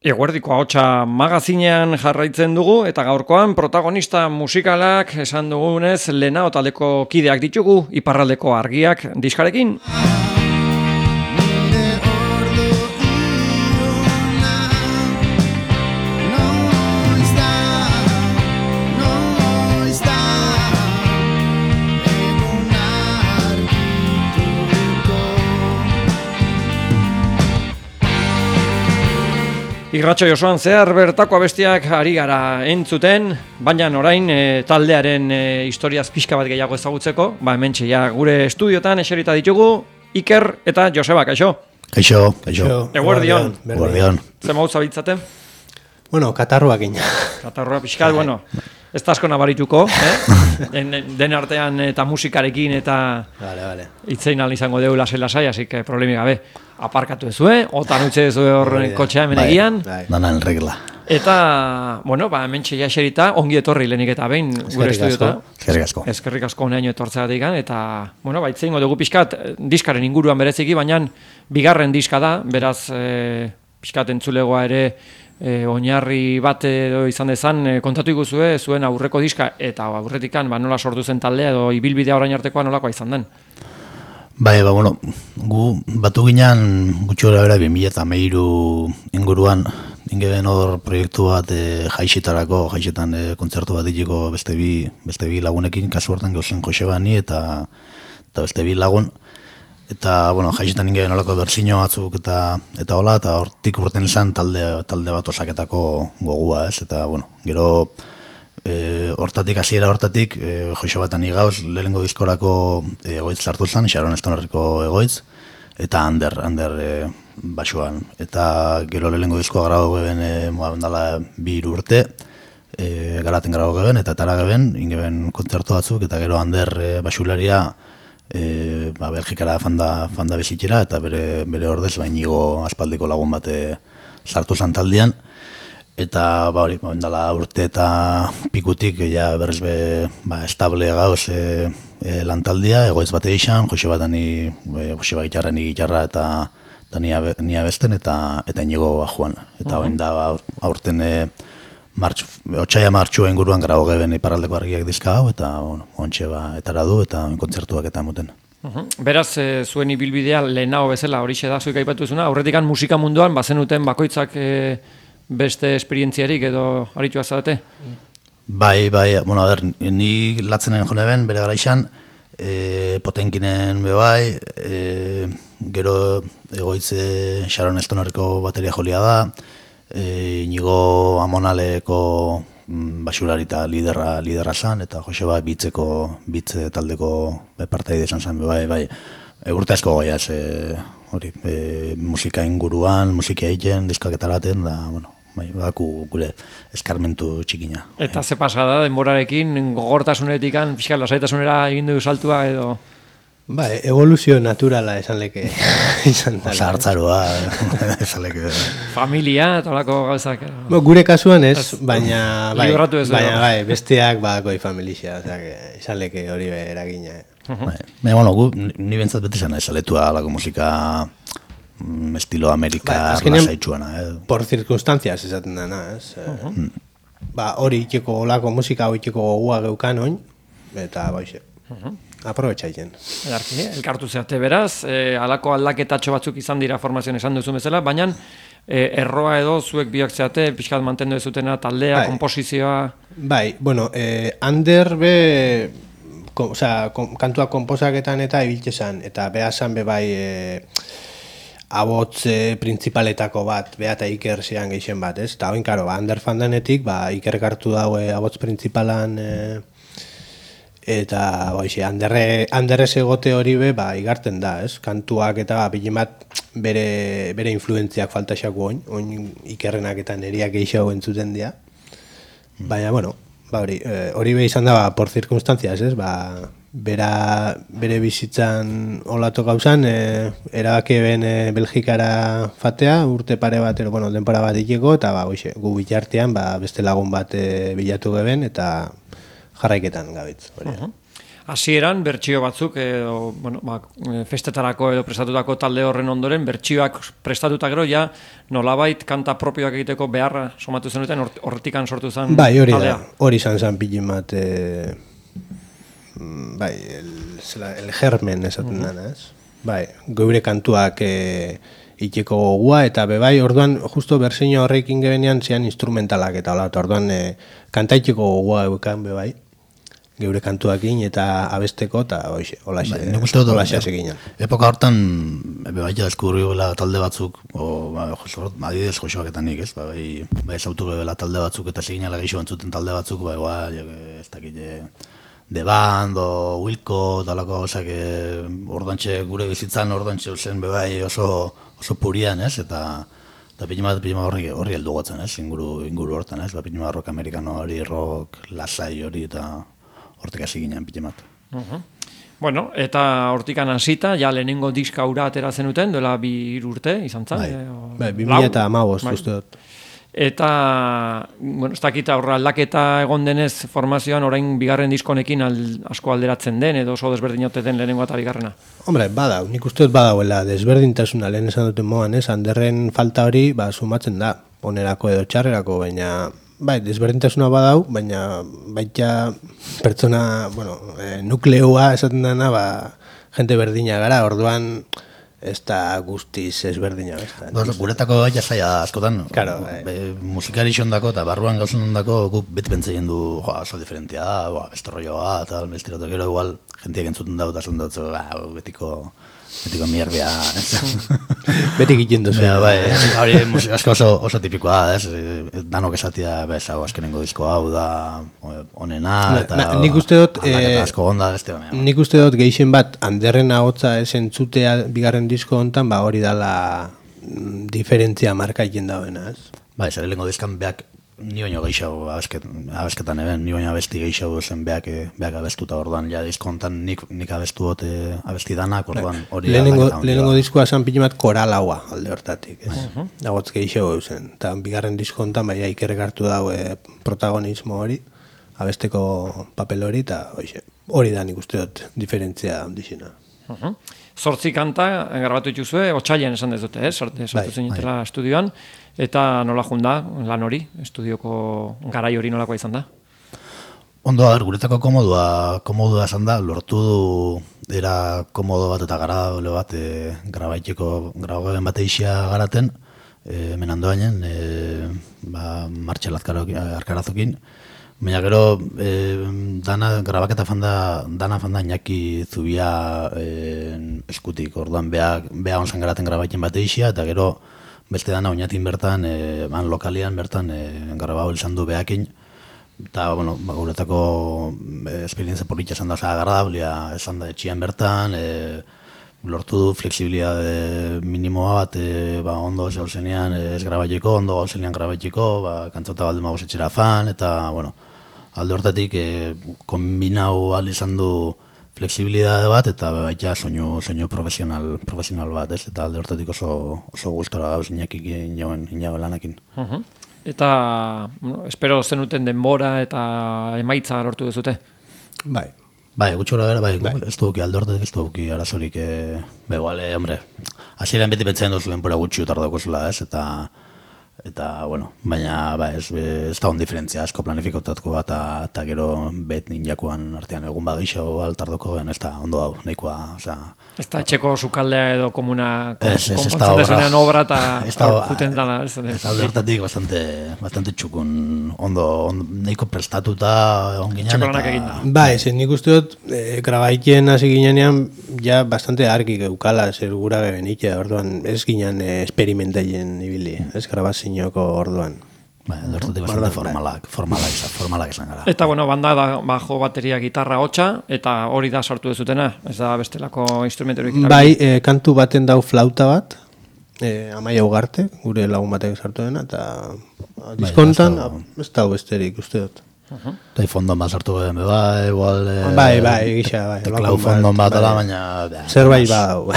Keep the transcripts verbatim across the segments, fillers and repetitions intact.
Eguerdiko ahotsa magazinean jarraitzen dugu eta gaurkoan protagonista musikalak esan dugunez Lehenao taldeko kideak ditugu Iparraldeko Argiak diskarekin. Irratxo Josoan zehar bertako abestiak ari gara entzuten, baina orain e, taldearen e, historiaz pixka bat gehiago ezagutzeko, ba hementxe ja gure estudiotan eserita ditugu Iker eta Joseba, kaixo? Kaixo, kaixo. Eguerdion. Eguerdion. Zer mauz zabitzate? Bueno, katarruak ina. Katarrua pixka, bueno, ez da asko nabarituko, eh? Den, den artean eta musikarekin eta vale, vale. Itzein al izango deu lasai-lasai, así que problemi gabe. Aparkatu ezue, otan utxe ezue hor kotxea hemenegian. Dana en regla. Eta, bueno, ba, hemen txeia eserita, ongi etorri lehenik eta behin gure estudiota. Eskerrik asko. Eskerrik asko honeaino etortzeagatik, eta, bueno, ba, itzeingo dugu pixkat, diskaren inguruan bereziki, baina bigarren diska da, beraz, e, pixkat entzulegoa ere, e, oinarri bat edo izan dezan, e, kontatu iguzue, zuen aurreko diska, eta aurretikan, ba, nola sortu zen taldea, edo ibilbidea orain artekoa nolakoa izan den. Bai, ba, bueno, gu batu ginean gutxi gara bera bi mila hamairu inguruan ingeben hor proiektu bat e, jaixetarako, jaixetan e, kontzertu bat ditiko beste bi, beste bi lagunekin, kasu hortan gauzen Josebani eta, eta beste bi lagun. Eta, bueno, jaixetan ingeben horako berzino batzuk eta eta hola, eta hortik urten izan talde, talde bat osaketako gogua, ez? Eta, bueno, gero E, hortatik, hasiera hortatik, e, Joseba eta ni gauz, lehenengo diskorako egoitz sartu zen, Sharon Stonerreko egoitz, eta Ander, Ander e, basuan. Eta gero lehenengo diskoa grabo geben, e, dala bi hiru urte, e, garaten grabo geben, eta tara geben, ingeben kontzertu batzuk, eta gero Ander e, basularia e, ba, Belgikara fanda, fanda bizitzera, eta bere, bere ordez, bainigo aspaldiko lagun bate sartu zen taldean. Eta ba hori, ba, dala urte eta pikutik ja berriz be, ba, estable gauz e, e, lantaldia, egoitz bate izan, Joseba eta ni, e, Joseba gitarra, ni gitarra eta, eta ni, abe, ni abesten eta eta inigo bajuan. Eta uh -huh. da ba, aurten e, martxu, otsaia martxua inguruan grabo geben Iparraldeko Argiak diska hau, eta bueno, ontxe ba, etara du eta kontzertuak eta muten. Uh-huh. Beraz, e, zuen ibilbidea Lehenao bezala horixe da zuik aipatu zuna, aurretikan musika munduan bazenuten bakoitzak e, beste esperientziarik edo aritua zarete? Bai, bai, bueno, a ber, ni latzenen jone ben, bere gara izan, e, Potenkinen be bai, e, gero egoitze Sharon Stonerreko bateria jolia da, e, Inigo Amonaleko basurari eta liderra, liderra zan, eta Joseba bitzeko, bitze taldeko partaide izan zen, be bai, bai, e, urte asko goiaz, e, hori, e, musika inguruan, musika egiten, diskak etaraten, da, bueno, bai, baku gure eskarmentu txikina. Eta ze pasada denborarekin, gogortasunetikan, fiskal lasaitasunera egin du saltua edo? Ba, evoluzio naturala esan leke izan dela. Osa hartzaroa, esan leke. Familia, eta olako gauzak. Bo, gure kasuan ez, baina, bai, ez baina bai, besteak bakoi familia, oza, esan leke hori eragina. Uh-huh. Bai, baina, gu, ni bentsat beti zena esaletua alako musika estilo Amerika lasaitxuana. Eh? Por circunstancias esaten dana, ez? Uh-huh. Mm. Ba, hori itxeko olako musika, hori itxeko gogua geukan oin, eta baixe. Uh-huh. Aprobetxaiten. Edarki, elkartu zeate beraz, e, alako aldaketatxo batzuk izan dira formazioan esan duzu bezala, baina e, erroa edo zuek biak zeate, pixkat mantendu ezutena taldea, bai. Komposizioa... Bai, bueno, eh, Ander be... Ko, osea, kom, kantua komposaketan eta ibiltzesan, eta behazan be bai... E, abotz e, principaletako bat, beha eta Iker zean geixen bat, ez? Eta hoin, karo, ba, Ander fandanetik, ba, Iker kartu daue abotz principalan, e, eta, boixe, Anderre, Anderrez egote hori be, ba, igarten da, ez? Kantuak eta, ba, bilen bat, bere, bere influentziak faltaxako oin, oin Ikerrenak eta neriak geixago entzuten dira. Baina, bueno, ba, hori, e, hori be izan da, ba, por circunstancias, ez? Ba, Bera, bere bizitzan olatu gauzan, e, erabake ben e, Belgikara fatea, urte pare bat, ero, bueno, denpora bat ikeko, eta ba, oixe, gu bitartean ba, beste lagun bat e, bilatu geben, eta jarraiketan gabitz. Uh-huh. hasieran bertsio batzuk edo, bueno, ba, festetarako edo prestatutako talde horren ondoren bertsioak prestatuta gero ja nolabait kanta propioak egiteko beharra somatu zenuten horretikan sortu zen bai, hori taldea. da, hori izan zen pilin bat e, bai, el, el germen esaten dana, ez? Bai, geure kantuak e, itxeko gogua, eta bebai, orduan, justo berseino horrekin gebenean zian instrumentalak eta hola, eta orduan e, kanta itxeko gogua eukan bebai, geure kantuakin eta abesteko, eta hoxe, holaxe, holaxe azeginen. Epoka hortan, bebai, deskurri gela talde batzuk, o, ba, joso, adidez josoak eta nik, ez? Ba, bai, bai, zautu gela talde batzuk, eta seginala geixo bantzuten talde batzuk, ba, igual, ez dakit, The Band, o Wilco, talako, osak, ordantxe, gure bizitzan ordantxe zen bebai oso, oso purian, ez? Eta, eta pinima, pinima horri, horri heldu gotzen, ez? Inguru, inguru hortan, ez? Ba, pinima rock amerikano hori, rock, lasai hori, eta hortik hasi ginen pinima. Uh-huh. Bueno, eta hortikan hasita, ja lehenengo diska ura atera zenuten, duela bi urte, izan zen? Bai, e, bai bi mila eta hamabost, uste dut. Eta, bueno, ez dakita horra aldaketa egon denez formazioan orain bigarren diskonekin al, asko alderatzen den, edo oso desberdinote den lehenengo eta bigarrena? Hombre, badau, nik uste dut badauela desberdintasuna lehen esan duten moan, ez? Anderren falta hori, ba, sumatzen da, onerako edo txarrerako, baina, bai, desberdintasuna badau, baina baita pertsona, bueno, e, nukleoa esaten dena, ba, jente berdina gara, orduan, ez da guztiz ezberdina. No, guretako gaita zaila askotan, claro, be, musikari xondako eta barruan gauzun ondako guk beti pentsaien du, joa, oso diferentia da, beste rolloa, eta bestiratu gero igual, jentiak entzuten dut, asun dut, betiko, betiko mierbia, beti egiten duzu. Bai, hori musika asko oso, oso tipikoa da, ez, danok esatia, bez, hau, azkenengo disko hau da, onena, eta na, nik uste dut, aldaketa asko onda, beste, nik uste dut gehien bat, Anderren ahotza ez entzutea bigarren disko hontan, ba hori dala diferentzia marka egin dauena, ez? Bai, zer lehenko dizkan beak ni baino gehiago abesket, abesketan eben, ni baino abesti gehiago zen beak, beak abestuta orduan, ja disko hontan nik, nik abestu bote abesti danak, orduan hori lehenengo, lehenengo diskoa esan pilimat koral haua alde hortatik, ez? Uh-huh. Agotz gehiago zen, eta bigarren disko hontan baina ikerrek hartu dago e, protagonismo hori, abesteko papel hori, eta hori da nik uste dut diferentzia handixena. Uh-huh. Zortzi kanta grabatu dituzue, otsailean esan dezute, eh? Sortu zinetela bai. Estudioan, eta nola junda lan hori, estudioko garai hori nolakoa izan da? Ondo, a ber, guretako komodua, komodua esan da, lortu du era komodo bat eta garabole bat e, grabaiteko, grabagoen bat eixia garaten, e, menandoainen, e, ba, Martxel Arkarazokin, baina gero, e, dana, grabaketa fanda, dana fanda Iñaki Zubia e, eskutik, orduan beha, beha onzan garaten grabaiten bat eixia, eta gero beste dana oinatin bertan, e, ban lokalian bertan, e, grabau izan du behakin, eta, bueno, ba, guretako e, esperientzia politxa esan da, oza, agradablia esan da etxian bertan, e, lortu du flexibilitate minimoa bat, e, ba, ondo gauzenean ez grabaiteko, ondo gauzenean grabaiteko, ba, kantzota balde magoz etxera fan, eta, bueno, alde hortatik e, kombinau al izan du flexibilitate bat, eta baita soinu, soinu profesional, profesional bat, ez? Eta alde hortatik oso, oso gustora gauz inakik inauen, inauen lanakin. Uh-huh. Eta, bueno, espero zenuten denbora eta emaitza lortu duzute? Bai. Bai, gutxora bera, bai, bai. Ez duki alde hortatik, ez duki arazorik, e, begoale, hombre, hasieran beti pentsatzen duzu denbora gutxi utardako zula, ez? Eta, eta, bueno, baina, ba, ez, ez da hon diferentzia, asko planifikotatuko bat, eta gero bet ninjakoan artean egun bagixo altardoko, ez da ondo hau, nahikoa, oza... Ez da etxeko sukaldea edo komuna konpontzen dezunean obra eta juten dana. Ez da hortatik bastante, bastante txukun, ondo, ondo nahiko prestatuta onginan. Txeko lanak egin da. Ba, ez, nik uste dut, e, grabaiten hasi ginean, ja bastante argi geukala, zer gura gebenik, orduan ez ginen e, esperimentaien ibili, ez grabazinoko orduan. Ba, hortatik bastante formalak, formalak, formalak esan gara. Eta, bueno, banda da bajo, bateria, gitarra, hotxa, eta hori da sortu dezutena, ez da bestelako instrumentorik. Bai, e, kantu baten dau flauta bat, e, Amaia Ugarte, gure lagun batek sartu dena, eta diskontan, ez da besterik, uste dut. Uh-huh. Eta fondon bat sartu gehen, bai, igual... E, bai, bai, gisa, bai. Teklau fondon bat, ala, baina... Zerbait badau.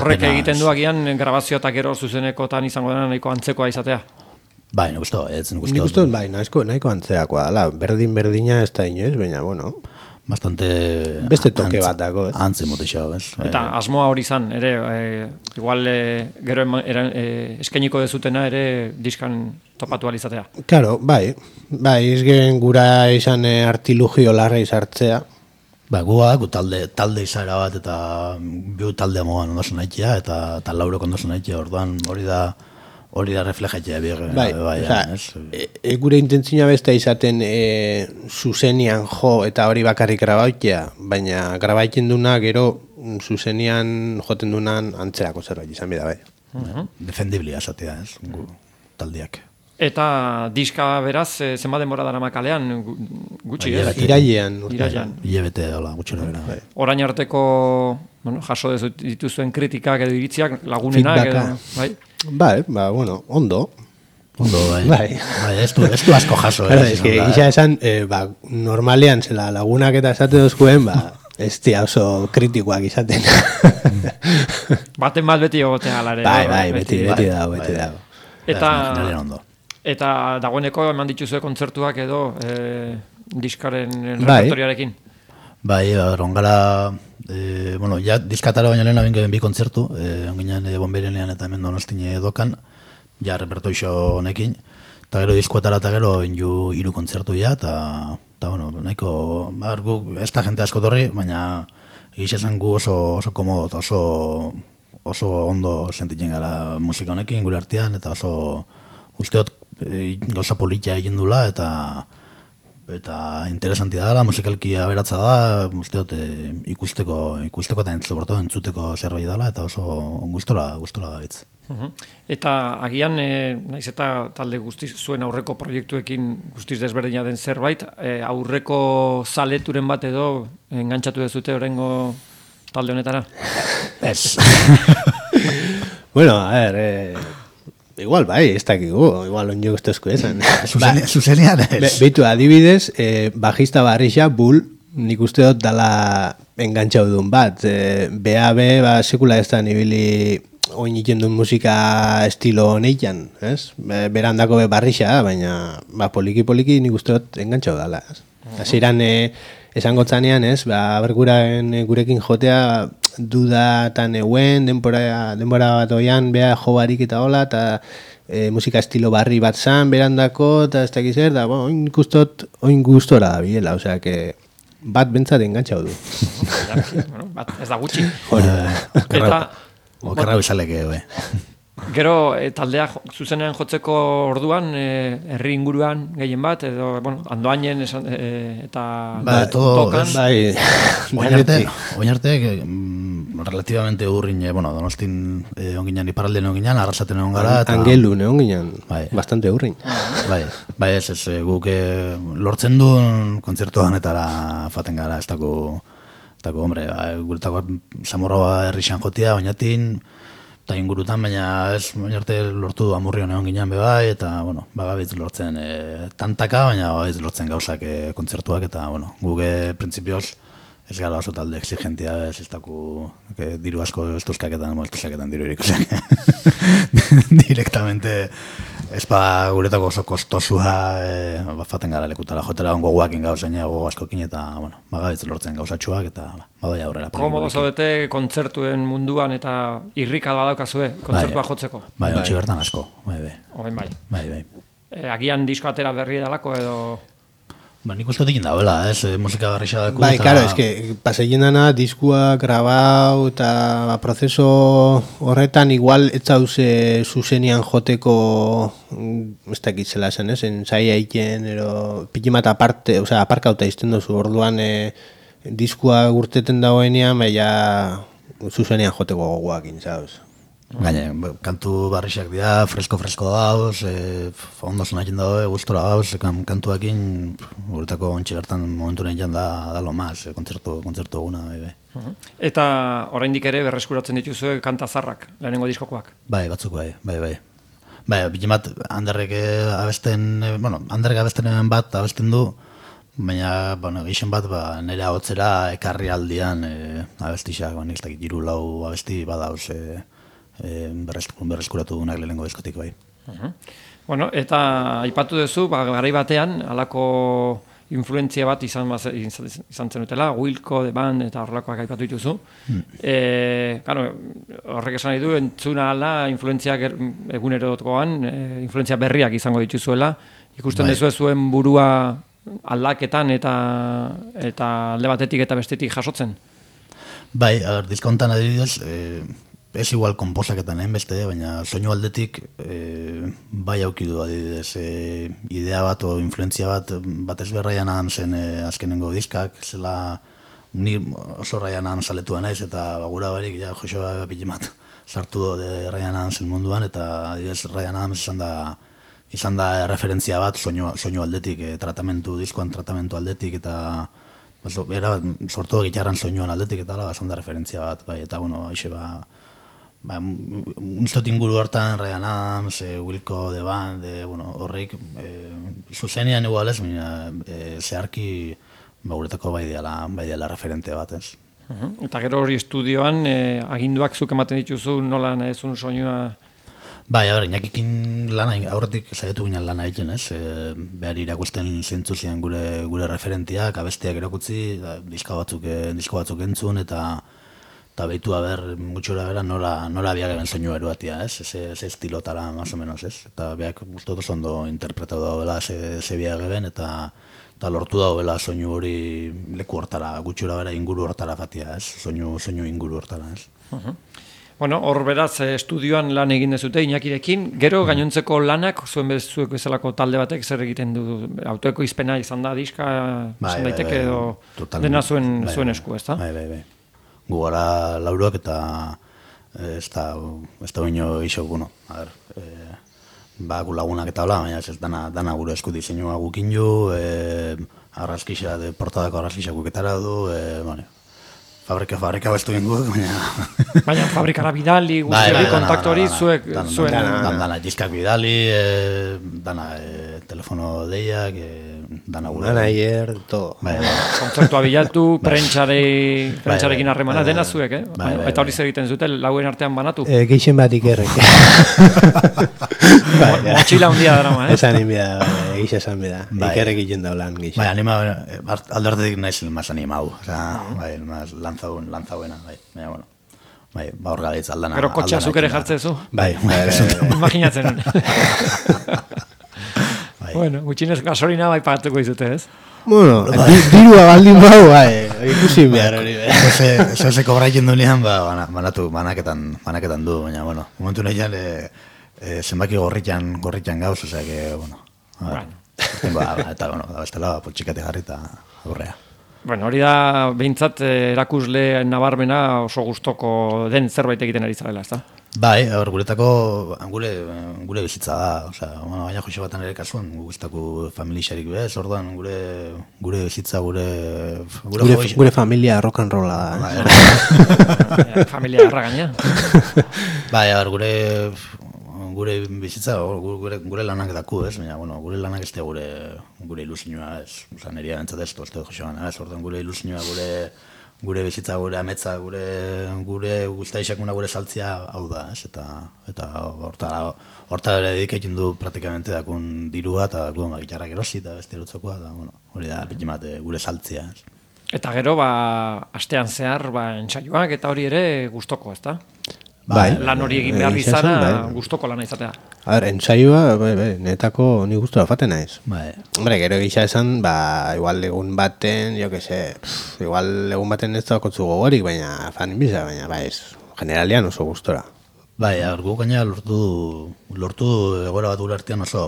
Horrek egiten du agian grabazio eta gero zuzenekotan izango dena nahiko antzekoa izatea. Bai, nik uste, ez nik uste. Nik uste, bai, nahiko, nahiko antzeakoa, ala, berdin-berdina ez da inoiz, baina, bueno... bastante... Beste toke bat dago, ez? Antze motexau, ez? Eta asmoa hori izan, ere, e, igual e, gero ema, era, e, eskainiko dezutena ere diskan topatu alizatea. Claro, bai, bai, izgen gura izan e, artilugio larra izartzea. Ba, gua, gu talde, talde izaera bat eta biu talde moan ondosun haitea eta, eta laurok ondosun haitea, orduan hori da hori da reflejatzea bier. Bai, bai, bai e, e, gure intentzioa beste izaten e, zuzenian jo eta hori bakarrik grabaitea, baina grabaitzen duna gero zuzenian joten dunan antzerako zerbait izan bida, bai. Uh-huh. Defendiblia esatea, ez, gu, taldeak. Eta diska beraz, e, zenba denbora dara makalean, gutxi, ez? Irailean. Irailean. Ilebete, hola, gutxera bera. Bai. Orain arteko, bueno, jaso dituzuen kritikak edo iritziak, lagunenak, edo, bai? Bai, ba, bueno, ondo. Ondo, bai. Bai. Bai, ez du, ez du asko jaso. Claro, es que isa esan, eh, ba, normalean zela lagunak eta esate dozkuen, ba, ez tia oso kritikoak izaten. Baten bat beti egotea alare. Bai, bai, beti, beti dago, beti dago. Eta, ondo. eta dagoeneko eman dituzue kontzertuak edo e, diskaren bai. repertoriarekin. Bai, rongala, e, bueno, ja diskatara baino lehen abin bi kontzertu, e, onginean e, Bonberenean eta hemen Donostine dokan, ja repertoixo honekin, eta gero diskoetara eta gero inju hiru kontzertu ja, eta, eta bueno, nahiko, bar, gu, ez da jente asko torri, baina egizia gu oso, oso komodo eta oso, oso ondo sentitzen gara musika honekin gure artean, eta oso usteot e, gauza politia egin dula, eta eta interesantia da, musikalki aberatza da, usteot e, ikusteko, ikusteko eta entzuborto entzuteko zerbait dela, eta oso gustora, gustora gaitz. Uh-huh. Eta agian, e, naiz eta talde guztiz zuen aurreko proiektuekin guztiz desberdina den zerbait, e, aurreko zaleturen bat edo engantzatu dezute orengo talde honetara? Ez. Bueno, a ver, eh, igual bai, ez dakigu, igual onjo guztozko esan. Zuzenian ez. Beitu, adibidez, eh, bajista barrixa, Bull, nik uste dut dala engantzau duen bat. Eh, B A B, ba, sekula ez da nibili oin iken duen musika estilo honeikan, ez? Berandako be barrixa, baina ba, poliki-poliki nik uste dut engantzau dala, ez? Hasieran eh, esango tzanean, ez? Ba, berguraen gurekin jotea duda eta neuen, denbora, denbora bat oian, beha jo barik eta hola, eta e, musika estilo barri bat zan, berandako, eta ez dakiz er, da, bueno, oin ikustot, oin gustora da biela, osea, que bat bentsat engantzau du. Bueno, bat, ez da gutxi. Hori Eta, okerra bizaleke, be. Gero e, taldea jo, zuzenean jotzeko orduan, e, herri inguruan gehien bat, edo, bueno, andoainen esan, e, eta ba, todo, tokan. Bai, oinarte, oinarte, mm, relativamente urrin, eh, bueno, Donostin eh, onginan, iparralden onginan, arrasaten egon gara. Eta, Angelu, ne onginan, bai. Bastante urrin. Bai, bai ez, ez, guk eh, lortzen duen kontzertuan etara faten gara, ez dako, ez dako, hombre, ba, guretako Zamorroa herrixan jotia, oinatin, eta ingurutan, baina ez, baina arte lortu du Amurrion egon ginen bebai, eta, bueno, bagabitz lortzen e, tantaka, baina bagabitz lortzen gauzak e, kontzertuak, eta, bueno, guge printzipioz ez gara oso talde exigentia, ez ez daku que, diru asko estuzkaketan, moltuzaketan diru erikusak. Directamente, ez ba guretako oso kostosua, e, bafaten gara lekutara, jotera ongo guakin gauzaina, gogo askokin, eta, bueno, bagabitz lortzen gauzatxuak, eta badoi aurrera. Komodo zaudete kontzertuen munduan eta irrika badaukazue kontzertua bai, jotzeko. Bai, ontsi bertan asko, bai, bai. Oben bai. Bai, bai. E, agian disko atera berri edalako edo... Ba, nik uste dikin dauela, ez, e, musika barrixa daku. Bai, claro, es que paseien dana diskua grabau eta prozeso horretan igual ez zauze zuzenian joteko ez dakit zela zen, ez, ensaia iken, ero pikimat aparte, o sea, aparkauta izten dozu, orduan e, diskua gurteten dagoenean, baina zuzenian joteko gogoakin, zauz. Gaine, kantu barrixak dira, fresko-fresko dauz, e, ondo zonakin dago, gustora dauz, kantuakin, guretako ontsi bertan momentu nahi da, da lo maz, e, kontzertu, kontzertu eguna. Bai, bai. Eta oraindik ere berreskuratzen dituzue kanta zarrak, lehenengo diskokoak. Bai, batzuk bai, bai, bai. Bai, bikimat, Anderrek abesten, bueno, Anderrek abesten bat abesten du, baina, bueno, gixen bat, ba, nire ahotzera ekarri aldian e, abestixak, ba, nik ez dakit, hiru lau abesti badauz, e, E, berreskuratu dunak lehenengo diskotik bai. Uh-huh. Bueno, eta aipatu duzu, ba, garai batean, halako influentzia bat izan, izan zenutela, Wilco, The Band, eta horrelakoak aipatu dituzu. Hmm. E, claro, horrek esan nahi du, entzuna ala, influentziak egunerokoan, e, influentzia berriak izango dituzuela, ikusten bai. Dezu zuen burua aldaketan eta eta alde batetik eta bestetik jasotzen? Bai, agar, diskontan adibidez, e, ez igual konposaketan egin beste, baina soinu aldetik e, bai aukidu adibidez e, idea bat o influentzia bat batez berraian zen e, azkenengo diskak, zela ni oso Ryan Adams aletua naiz eta bagura barik ja Joshua Pilimat sartu de Ryan Adamsen munduan eta adibidez Ryan Adams izan da izan da referentzia bat soinu, soinu aldetik, e, tratamentu, diskoan tratamentu aldetik eta era sortu gitarran soinuan aldetik eta ala izan da referentzia bat, bai, eta bueno, aixe ba Ba, unstot inguru hartan, Ryan Adams, e, Wilco, The Band, e, bueno, horreik, e, zuzenean igual ez, e, zeharki ba, guretako bai diala, bai diala referente bat, ez. Uh-huh. Eta gero hori estudioan, e, aginduak zuk ematen dituzu, nola nahezun soinua? Bai, a ber, inakikin lana, aurretik saiatu ginen lana egiten, ez, e, behar irakusten zentzu zian gure, gure referentiak, abestiak erakutzi, da, diska batzuk, e, disko batzuk entzun, eta eta behitu haber, gutxura bera, nola, nola biak egin soinu eruatia, ez? Eze estilotara, más o menos, ez? Eta biak guztot oso ondo interpretatu dagoela ze biak egin, eta, eta lortu dagoela soinu hori leku hortara, gutxura bera inguru hortara fatia, ez? Soinu, soinu inguru hortara, ez? Uh-huh. Bueno, hor beraz, estudioan lan egin dezute Iñakirekin, gero gainontzeko lanak, zuen bezuek bezalako talde batek zer egiten du, autoeko izpena izan da, diska, bai, izan daiteke, bai, bai, edo totalmente, dena zuen, bai, zuen esku, ez da? Bai, bai, bai. Gu gara lauruak eta ez da, ez da baino iso, bueno, a ver, e, ba, gu lagunak eta hola, baina ez dana, dana gure esku diseinua gukin ju, e, arraskixa, de portadako arraskixa guketara du, e, bueno, fabrika, fabrika bestu gengu, baina... Baina fabrikara bidali, guzti hori, kontaktu hori, zuek, zuen... Dana, dana, diskak bidali, e, dana, e, telefono deiak, e, dana gure... Manager, todo. Bai, bai. Kontzertua bilatu, prentxarekin harremana, dena zuek, eh? Bai, bai, eta hori zer egiten zute, lauen artean banatu? E, Geixen bat ikerrek. Motxila hundia darama, eh? Esan inbida, egiz esan bida. Ikerrek egiten daulan, Geixen. Bai, anima, alderdetik naiz más animau. O sea, bai, más lanzauen, lanzauena, bai. Baina, bueno. Bai, ba hor gaitz aldana. Pero kotxea zuk ere jartzezu? Bai, bai, imaginatzen. Bueno, gutxinez gasolina bai pagatuko izute, ez? Bueno, dirua baldin bau, bai, ikusi behar hori. Eso se cobra yendo nian, ba, banatu, banaketan, banaketan du, baina, bueno, momentu nahian, zenbaki gorritan, gorritan gauz, osea, que, bueno, eta, bueno, da bestela, poltsikate jarri eta aurrea. Bueno, hori da, behintzat, erakusle nabarmena oso gustoko den zerbait egiten ari zarela, ez da? Bai, hor, guretako, gure, gure bizitza da, osea, bueno, baina joxe batan ere kasuan, guztako familixarik bez, orduan, gure, gure bizitza, gure... Gure, gure, gure familia rock and rolla da. Bai, familia erra gaina. Bai, hor, gure, gure bizitza, gure, gure lanak daku, ez, baina, bueno, gure lanak ez da gure, gure ilusinua, ez, oza, neria bentzat ez, tozte joxe bana, ez, orduan, gure ilusinua, gure... gure bizitza, gure ametza, gure gure guztaixakuna gure saltzia hau da, ez? Eta eta horta horta ere dedikatzen du praktikamente dakun dirua eta dakun gitarrak erosi eta beste lotzokoa da, bueno, hori da pikimat gure saltzia, ez? Eta gero ba astean zehar ba entsaioak eta hori ere gustoko, ezta? Bai, lan hori egin behar izana gustoko lana izatea. A ver, ensaioa, bai, bai, netako ni gustora faten naiz. Bai. Hombre, gero gisa esan, ba, igual egun baten, jo que sé, pff, igual egun baten ez da kotzu gogorik, baina fan inbiza, baina, bai, ez, generalian oso gustora. Bai, gu gaina lortu, lortu egora bat ulertian oso,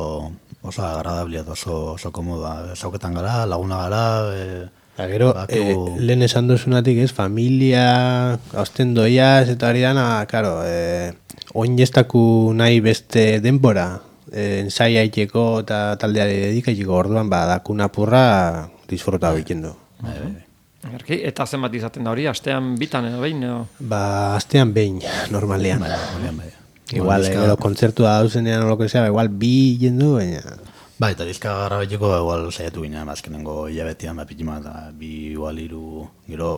oso agradablia, oso, oso komoda. Zauketan gara, laguna gara, e, Eta gero, e, lehen esan dozunatik ez, familia, hausten doiaz, eta hori dana, karo, e, oin jestaku nahi beste denbora, e, ensaia iteko eta taldeari dedikaiteko, orduan, ba, dakuna purra disfruta egiten du. Erki, eta zenbat izaten da hori, astean bitan edo behin edo? Ba, astean behin, normalean. Bai, normalean, bai. Igual, gero kontzertua dauzenean o lo que sea, igual bi jendu, baina... Ba, eta dizka garra betiko, igual saiatu ginen, azkenengo hilabetean, ba, pitima, eta bi igual iru, gero,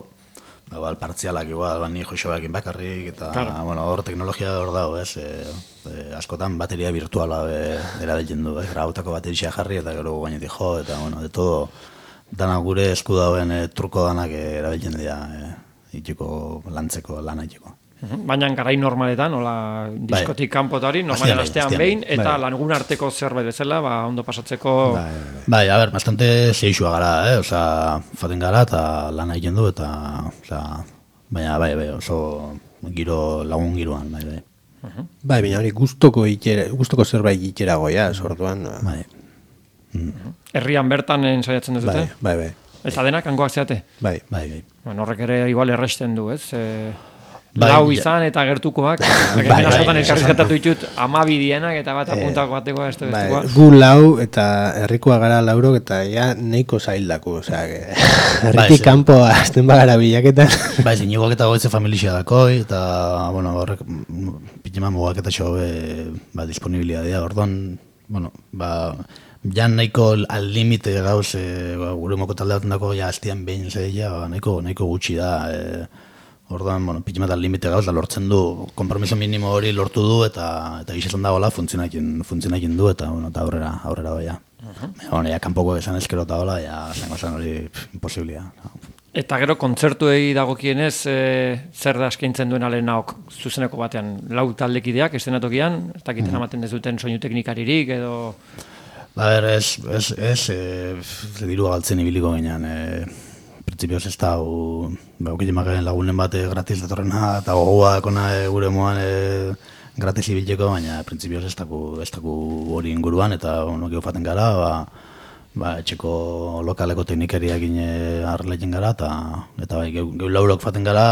ba, igual partzialak, igual, ba, ni joxoakin bakarrik, eta, claro. Bueno, hor teknologia hor dago, ez, e, e, askotan bateria virtuala erabiltzen du, ez, grautako bateria jarri, eta gero gainetik jo, eta, bueno, de todo, dana gure esku dauen e, truko danak e, erabiltzen dira e, itxiko lantzeko lana itxiko. Baina garai normaletan, hola diskotik kanpotari, normalean astean behin, eta lagun arteko zerbait bezala, ba, ondo pasatzeko... Bai, bai, a ber, bastante zeixua gara, eh? Osa, faten gara eta lana egiten du, eta, osa, baina, bai, bai, oso giro, lagun giroan, bai, bai. Uh-huh. Bai, baina hori gustoko itxera, gustoko zerbait itxera goia, sortuan. Bai. Mm. Herrian bertan ensaiatzen duzute? Bai, bai, bai. Eta denak hangoak zeate? Bai, bai, bai. Bueno, horrek ere igual erresten du, ez? E... Bai, lau izan eta gertukoak, bai, bai, askotan elkarrizketatu ditut amabi dienak eta bat apuntako batekoa ez bai, gu lau eta herrikoa gara laurok eta ja neiko zaildako, osea, herritik kanpo azten bagara bilaketan. Bai, ziniguak eta goitze familia dakoi, eta, bueno, horrek, pitema mugak eta xobe, ba, disponibilidadea, orduan, bueno, ba, ja nahiko al limite gauz, e, gure moko talde baten dako, ja, hastian behin zeia, ba, nahiko, nahiko gutxi da, e, orduan, bueno, pitxemetan limite gauz, da lortzen du, kompromiso minimo hori lortu du, eta eta gizetan dagoela funtzionakin, funtzionakin du, eta, bueno, eta aurrera, aurrera doia. Uh-huh. Bueno, ja, kanpoko esan eskero eta hola, ja, zango zen hori imposiblia. Eta gero, kontzertuei dagokienez, e, zer da eskaintzen duen alenaok zuzeneko batean, lau taldekideak, estenatokian, ez dakiten uh-huh. ematen dezuten soinu teknikaririk, edo... Ba, ber, ez, ez, ez, e, diru galtzen ibiliko ginean, e, prinsipioz ez da, baukile lagunen bate gratis datorrena, eta gogoa kona e, gure moan e, gratis ibileko, baina prinsipioz ez daku, ez daku hori inguruan, eta ono gehufaten gara, ba, ba, etxeko lokaleko teknikariak ine harreletzen gara, eta, eta bai, gehu, gehu laurok faten gara,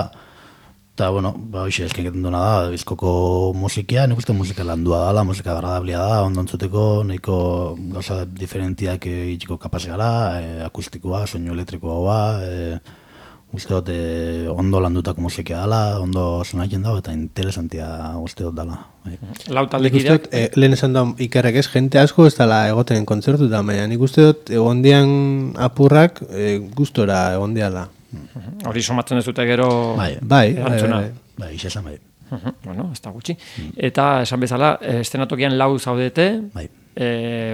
eta, bueno, ba, hoxe eskenketan duena da, bizkoko musikia, nik uste musika landua dala, musika agradablia da, ondo entzuteko, nahiko gauza diferentiak itxiko kapaz gara, e, akustikoa, soinu elektrikoa, e, uste dut e, ondo landutako musikia dala, ondo sonatzen dago, eta interesantia uste dut dala. E. Lau taldekideak? E, lehen esan da ikerrek ez, jente asko ez dala egoten kontzertu da, baina nik uste dut egondian apurrak e, gustora egondiala. Hori somatzen ez dute gero bai, bai, erantzuna. Bai, bai, izan bai. Uh-huh. Bueno, ez da gutxi. Mm. Eta esan bezala, estenatokian lau zaudete, bai. e,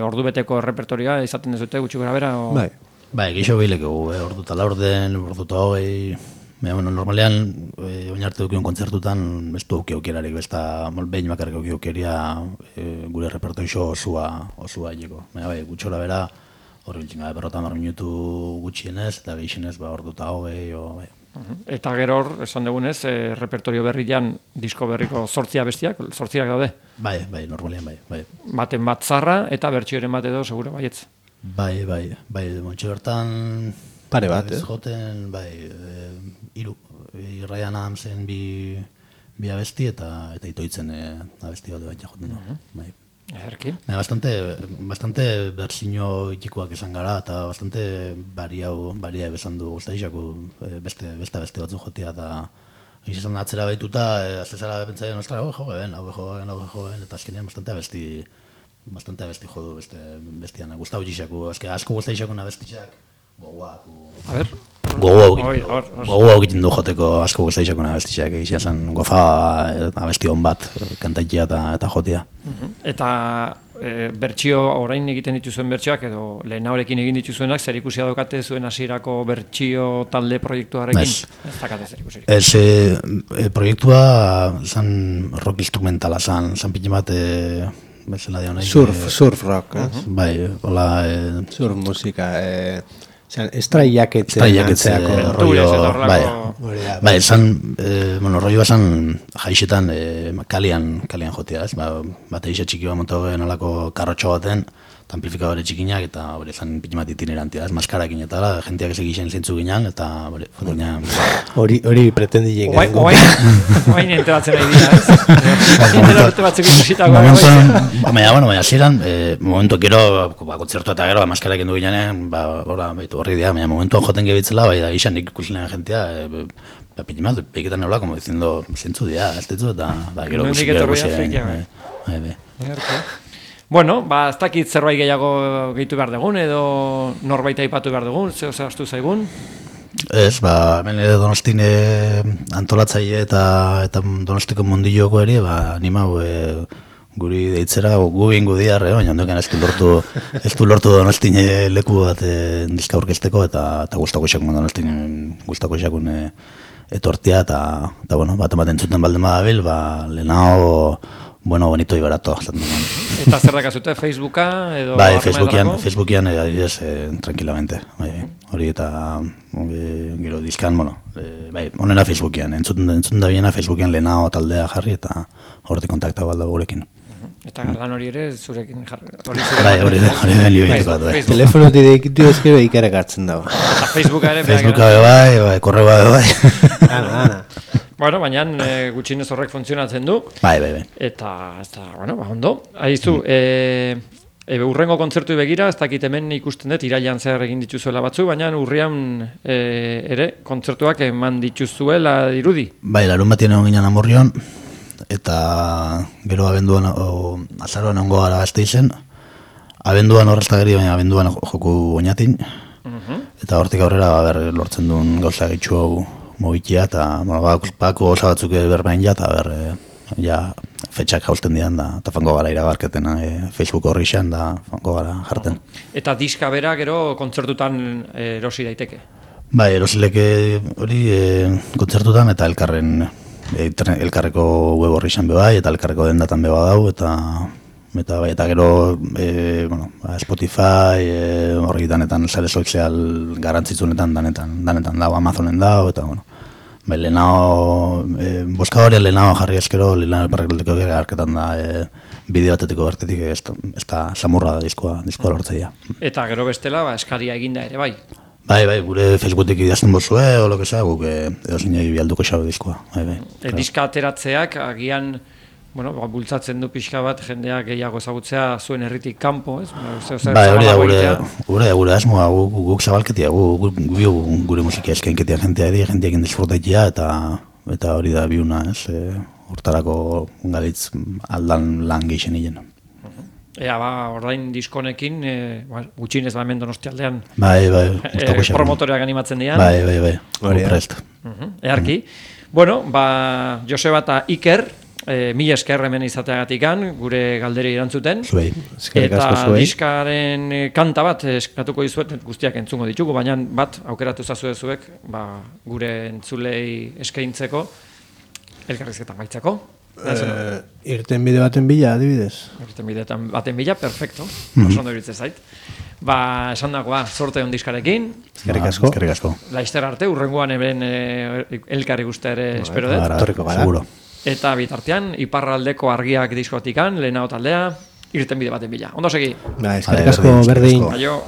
ordu beteko repertorioa izaten ez dute gutxi gara bera? O... Bai, bai, gixo behileko, eh, ordu eta laurden, ordu eta hogei, baina, bueno, normalean, e, oin arte dukion kontzertutan, ez du auki aukerarik, ez da, behin bakarrik auki aukeria e, gure repertorio osua, osua hileko. Baina, bai, gutxora bera, horri biltzen gara, berrota mar minutu gutxienez, eta gehienez, ba, ordu eta hogei, o, bai. Eta gero hor, esan dugunez, e, repertorio berrian disko berriko zortzia bestiak, zortziak daude? Bai, bai, normalean, bai, bai. Baten bat zarra, eta bertsioren bat edo, segura, baietz? Bai, bai, bai, montxe bertan... Pare bat, eh? Joten, bai, e, iru, Ryan Adamsen bi, bi abesti, eta, eta itoitzen e, abesti bat baita joten, uh-huh. bai. Erki. Bastante, bastante berzino itxikoak esan gara, eta bastante bariau, baria ebesan du guztaixako beste, beste beste batzu jotia, eta izan atzera baituta, aztezara pentsaien, ostra, hau joven, hau joven, hau joven, eta azkenean bastante abesti, bastante abesti jodu beste bestian, gustau gixako, asko guztaixako nabestixak, gogoak. A ber? Gogoa egiten du joteko asko guztaixako nabestixak, egizia zen gofa abesti hon bat, kantaikia eta, eta jotia. Eta e, bertsio, orain egiten dituzuen bertsioak, edo lehen haurekin egin dituzuenak, zer ikusia daukate zuen hasierako bertsio talde proiektuarekin? Ez, ez dakate zer ikusirik. Ez, e, e, proiektua zan rock instrumentala, zan, zan pitin bat, e, bezala dion. Surf, e, surf rock, eh? Uh-huh. Bai, hola... E, surf musika, e, estraiaketzen antzeako rollo, bai, bai, esan, eh, bueno, rollo esan jaixetan eh, kalian, kalian jotea, ez, ba, bate isa txiki bat montu gen olako karrotxo baten, amplifikadore txikinak, eta hori esan pitimat itinerantia, ez, maskarakin eta la, jenteak ez egiten zintzu ginen, eta hori, hori, hori pretendi jen gen. Oain enteratzen nahi dira, ez? Interrote batzuk ikusitako. Baina, bueno, baina ziren, momentu gero, kontzertu eta gero, maskarakin du ginen, ba, horri dira, baina momentuan joten gebitzela, bai, da, isan ikusilean jentea, pitimat, peiketan neula, como diciendo, zintzu dira, ez ditzu, eta, da, gero ikusilean. Bueno, ba, ez dakit zerbait gehiago gehitu behar dugun, edo norbait aipatu behar dugun, zeo zehaztu zaigun? Ez, ba, hemen Donostine antolatzaile eta eta Donostiko mundilloko ere, ba, animau e, guri deitzera, gu ingo diarre, baina ondoken ez du lortu, ez du lortu Donostin leku bat e, diska aurkezteko, eta, eta guztako xakun Donostin, guztako xakun e, etortia, eta, eta bueno, bat ematen zuten balde madabil, ba, lehenago, bueno, bonito y barato. Eta zer dakazute, Facebooka edo? Bai, Facebookian, Facebookian e, adibidez, e, tranquilamente. Bai, hori eta e, gero diskan, bueno, e, bai, onena Facebookian, entzuten, entzuten da biena Facebookian lehenago taldea jarri, eta hortik kontakta balda gurekin. Eta lan hori ere zurekin jarri. Bai, hori den libeitu bat, bai. Telefonotik deikitu ezke behikarak hartzen dago. Eta Facebooka ere. Facebooka bai, bai, korreoa bai. Ana, ana. Bueno, baina e, gutxinez horrek funtzionatzen du. Bai, bai, bai. Eta, ez da, bueno, ba, ondo. Aizu, mm. e, e, urrengo kontzertu begira, ez dakit hemen ikusten dut, irailan zehar egin dituzuela batzu, baina urrian e, ere kontzertuak eman dituzuela dirudi. Bai, larun batien egon ginen Amurrion, eta gero abenduan, o, azaroan ongo gara gazte izen, abenduan horreztageri, baina abenduan joku oinatin, uh-huh. Eta hortik aurrera, ba, ber, lortzen duen gauza gitxu hau mobitia, eta bueno, bako gauza batzuk berbain ja, eta ber, e, ja, fetxak jausten dian, da, eta fango gara iragarketen e, Facebook horri xean, da, fango gara jarten. Eta diska bera gero kontzertutan e, erosi daiteke? Bai, erosileke hori e, kontzertutan, eta elkarren, e, elkarreko web horri xean bebai, eta elkarreko dendatan beba dau, eta eta bai, eta gero e, bueno, Spotify e, horri danetan sare sozial garrantzitsunetan danetan danetan dago, Amazonen dago, eta bueno, bai, lehenago e, boskadori lehenago jarri eskero lehenago parrekeldeko gara arketan da e, bideo batetiko bertetik ez da samurra da diskoa, diskoa lortzeia. Eta gero bestela, ba, eskaria eginda ere, bai? Bai, bai, gure Facebooketik idazten bozue, o lo que sea, guk edo zinei bialduko xabe diskoa, bai, bai. E, diska ateratzeak, agian, bueno, ba, bultzatzen du pixka bat jendeak gehiago ezagutzea zuen herritik kanpo, ez? Bai, hori da gure, gure, gure asmoa, guk, guk zabalketia, guk, guk, gure musika eskenketia jentea edi, jenteak indisfrutaitia, eta eta hori da biuna, ez? E, hortarako galitz aldan lan geixen hilen. Ea, ba, ordain diskonekin, e, ba, gutxinez ba hemen Donostialdean bai, bai, e, promotoreak animatzen dian. Bai, bai, bai, hori prest. Uh-huh. Earki. Uh-huh. Bueno, ba, Joseba eta Iker, E, mila esker hemen izateagatikan, gure galderi erantzuten. Zuei. Eta diskaren kanta bat eskatuko dizuet, guztiak entzungo ditugu, baina bat aukeratu zazue zuek, ba, gure entzulei eskaintzeko, elkarrizketan baitzako. Uh, irten bide baten bila, adibidez. Irten bide baten bila, perfecto. Mm-hmm. Oso ondo iritze zait. Ba, esan dagoa, sorte hon diskarekin. Eskerrik asko. Eskerrik asko. Laizter arte, urrengoan hemen e, elkarri guztia ere espero dut. Torriko gara. Seguro. Eta bitartean, iparraldeko argiak diskotikan, lehenago taldea, irten bide baten bila. Ondo segi? Ba, eskerrik asko, berdin. Aio.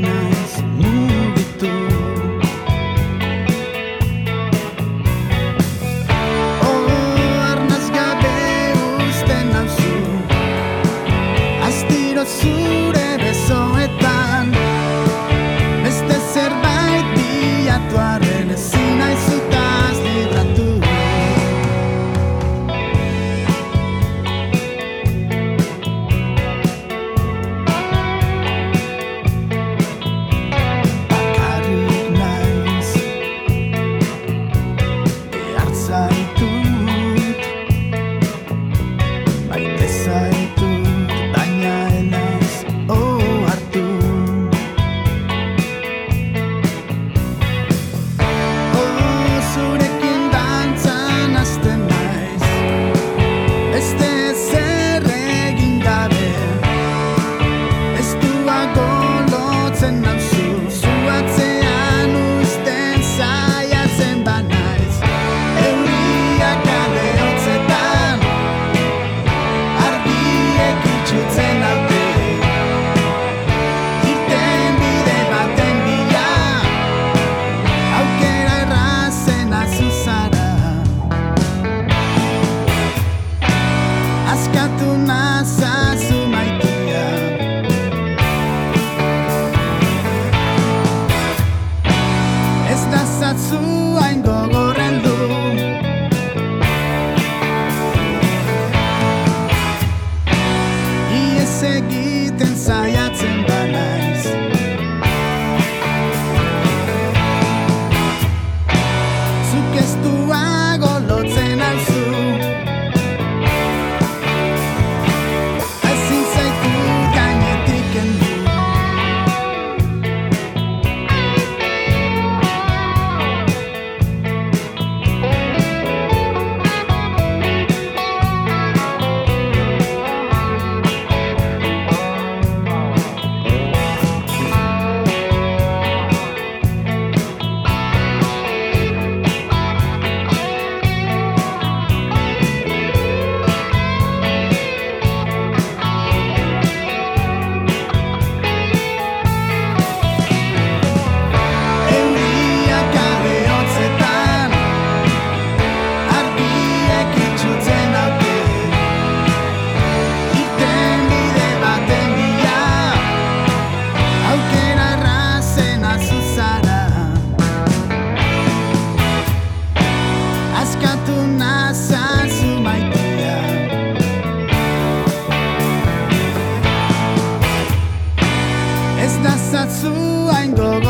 Night da zatzu hain gogo